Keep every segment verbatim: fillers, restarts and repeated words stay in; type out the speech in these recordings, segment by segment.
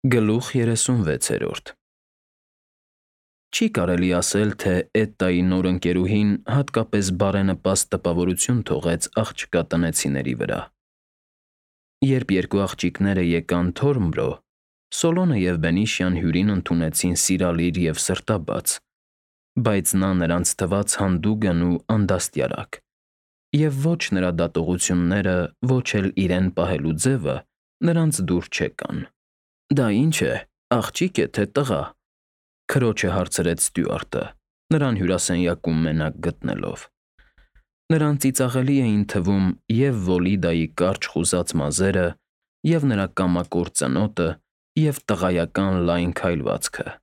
Գլուխ երեսունվեցերորդ Չի կարելի ասել, թե Էդտայի նոր ընկերուհին հատկապես բարենպաստ տպավորություն թողեց աղջկա տնեցիների վրա։ Երբ երկու աղջիկները եկան Թորմբրո, Սոլոնը և Բենիշյան հյուրին ընդունեցին սիրալիր և սրտաբաց, բայց նա նրանց թվաց հանդուգն ու անդաստիարակ, և ոչ նրա դատողությունները, ոչ էլ իրեն պահելու ձևը նրանց դուր չեկան։ ֊ Դա ի՞նչ է, աղջի՞կ է, թե տղա,֊ քրոջը հարցրեց ստյուարտը, նրան հյուրասենյակում մենակ գտնելով։ Նրան ծիծաղելի էին թվում և Վոլիդայի կարճ խուզած մազերը, և նրա կամակոր ծնոտը, և տղայական լայն քայլվածքը։ ֊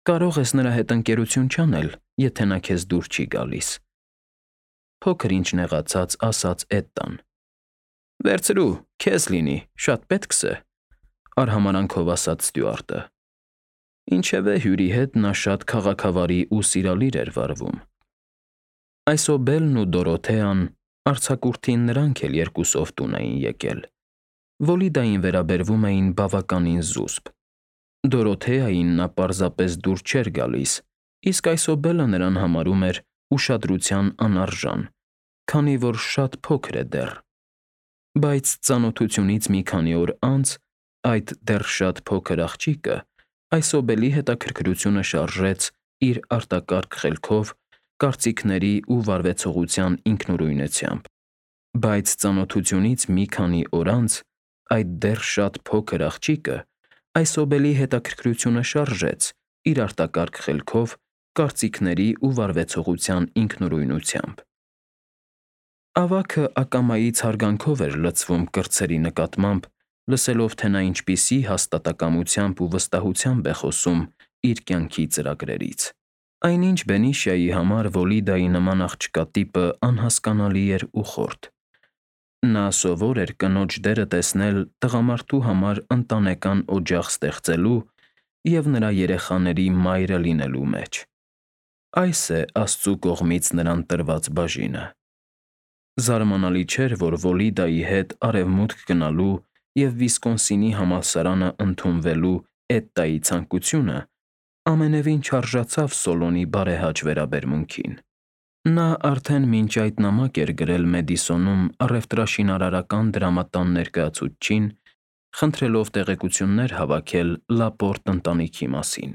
Կարող ես նրա հետ ընկերություն չանել, եթե նա քեզ դուր չի գալիս,֊ փոքր-ինչ նեղացած ասաց Էդտան։ ֊ Վերցրու, քեզ լինի, շատ պետք է,֊ արհամարհանքով ասաց ստյուարտը։ Ինչևէ, հյուրի հետ նա շատ քաղաքավարի ու սիրալիր էր վարվում։ Այսօբելն ու Դորոթեան, արձակուրդին նրանք էլ երկուսով տուն էին եկել, Վոլիդային վերաբերվում էին բավականին զուսպ։ Դորոթեային նա պարզապես դուր չէր գալիս, իսկ այսօբելը նրան համարում էր ուշադրության անարժան, քանի որ շատ փոքր է դեռ։ Բայց ծանոթությունից մի քանի օր անց այդ դեռ շատ փոքր աղջիկը այսօբելի հետաքրքրությունը շարժեց իր արտակարգ խելքով, կարծիքների ու վարվեցողության ինքնուրույնությամբ։ Բայց ծանոթությունից մի քանի օր անց այդ դեռ շատ փոքր աղջիկը այսօբելի հետաքրքրությունը շարժեց իր արտակարգ խելքով, կարծիքների ու վարվեցողության ինքնուրույնությամբ։ Ավագը ակամայից հարգանքով էր լցվում կրտսերի նկատմամբ, լսելով, թե նա ինչպիսի հաստատակամությամբ ու վստահությամբ է խոսում իր կյանքի ծրագրերից։ Այնինչ Բենիշյայի համար Վոլիդայի նման աղջկա տիպը անհասկանալի էր ու խորթ։ Նա սովոր էր կնոջ դերը տեսնել տղամարդու համար ընտանեկան օջախ ստեղծելու և նրա երեխաների մայրը լինելու մեջ։ Այս է Աստծու կողմից նրան տրված բաժինը։ Զարմանալի չէր, որ Վոլիդայի հետ արևմուտք գնալու և Վիսկոնսինի համալսարանը ընդունվելու Էդտայի ցանկությունը ամենևին չարժացավ Սոլոնի բարեհաճ վերաբերմունքին։ Նա արդեն մինչ այդ նամակ էր գրել Մեդիսոնում առևտրաշինարարական դրամատան ներկայացուցչին, խնդրելով տեղեկություններ հավաքել Լապորտ ընտանիքի մասին։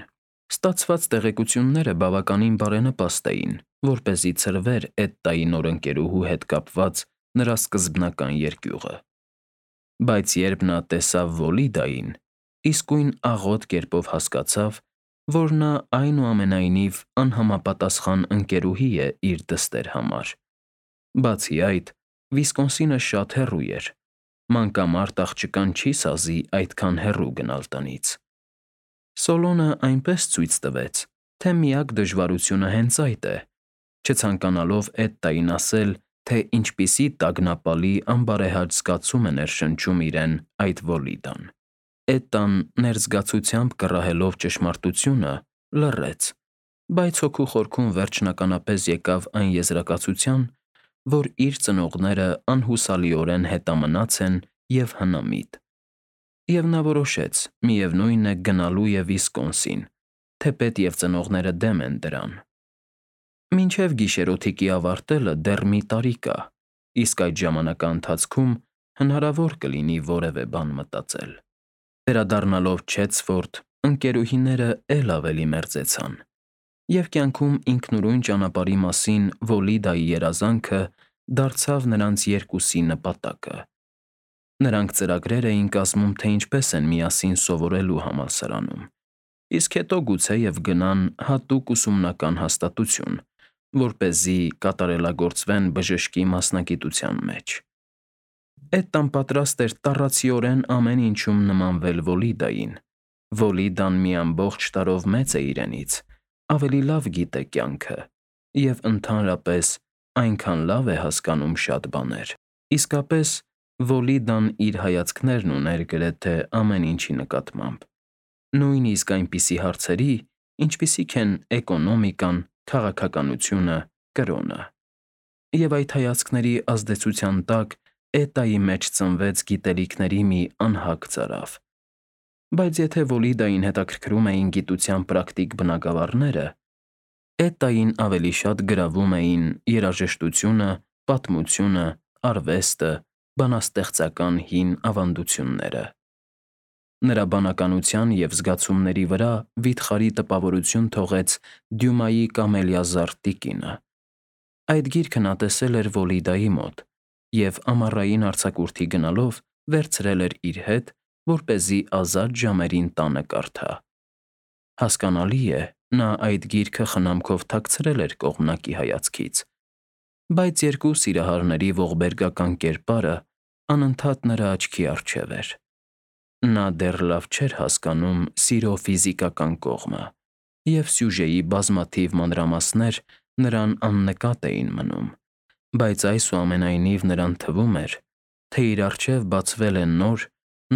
Ստացված տեղեկությունները բավականին բարենպաստ էին, որպեսզի ցրվեր Էդտայի նոր ընկերուհու հետ կապված նրա սկզբնական երկյուղը։ Բայց երբ նա տեսավ Վոլիդային, իսկույն աղոտ կերպով հասկացավ, որ նա այնուամենայնիվ անհամապատասխան ընկերուհի է իր դստեր համար։ Բացի այդ, Վիսկոնսինը շատ հեռու էր, մանկամարդ աղջկան չի սազի այդքան հեռու գնալ տնից։ Սոլոնը այնպես ցույց տվեց, թե միակ դժվարությունը հենց այդ է, չցանկանալով Էդտային ասել, թե ինչպիսի տագնապալի անբարեհաճ զգացում է ներշնչում իրեն այդ Վոլիդան։ Էդտան, ներզգացությամբ կռահելով ճշմարտությունը, լռեց, բայց հոգու խորքում վերջնականապես եկավ այն եզրակացության, որ իր ծնողները անհուսալիորեն հետամնաց են և հնամիտ։ Եվ նա որոշեց, միևնույն է, գնալու է Վիսկոնսին, թեպետ և ծնողները դեմ են դրան։ Մինչև գիշերօթիկի ավարտելը դեռ մի տարի կա, իսկ այդ ժամանակի ընթացքում հնարավոր կլինի որևէ բան մտածել։ Վերադառնալով Չեցֆորդ, ընկերուհիները էլ ավելի մերձեցան, և կյանքում ինքնուրույն ճանապարհի մասին Վոլիդայի երազանքը դարձավ նրանց երկուսի նպատակը։ Նրանք ծրագրեր էին կազմում, թե ինչպես են միասին սովորելու համալսարանում, իսկ հետո գուցեև գնան հատուկ ուսումնական հաստատություն, որպեսզի կատարելագործվեն բժշկի մասնագիտության մեջ։ Էդտան պատրաստ էր տառացիորեն ամեն ինչում նմանվել Վոլիդային։ Վոլիդան մի ամբողջ տարով մեծ է իրենից, ավելի լավ գիտե կյանքը և, ընդհանրապես, այնքան լավ է հասկանում շատ բաներ։ Իսկապես, Վոլիդան իր հայացքներն ուներ գրեթե ամեն ինչի նկատմամբ, նույնիսկ այնպիսի հարցերի, ինչպիսիք են էկոնոմիկան, քաղաքականությունը, կրոնը։ Եվ այդ հայացքների ազդեցության տակ Էդտայի մեջ ծնվեց գիտելիքների մի անհագ ծարավ։ Բայց եթե Վոլիդային հետաքրքրում էին գիտության պրակտիկ բնագավառները, Էտային ավելի շատ գրավում էին երաժշտությունը, պատմությունը, արվեստը, բանաստեղծական հին ավանդությունները։ Նրա բանականության և զգացումների վրա վիթխարի տպավորություն թողեց Դյումայի «Կամելիազարդ տիկինը»։ Այդ գիրքը նա տեսել էր Վոլիդայի մոտ և ամառային արձակուրդի գնալով վերցրել էր իր հետ, որպեսզի ազատ ժամերին տանը կարդա։ Հասկանալի է, նա այդ գիրքը խնամքով թաքցրել էր կողմնակի հայացքից, բայց երկու սիրահարների ողբերգական կերպարը անընդհատ նրա աչքի առջև էր։ Նա դեռ լավ չէր հասկանում սիրո ֆիզիկական կողմը, և սյուժեի բազմաթիվ մանրամասներ նրան աննկատ էին մնում, բայց այսուամենայնիվ նրան թվում էր, թե իր առջև բացվել է նոր,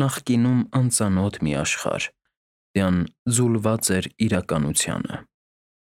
նախկինում անծանոթ մի աշխարհ, դյան ձուլված էր իրականությանը։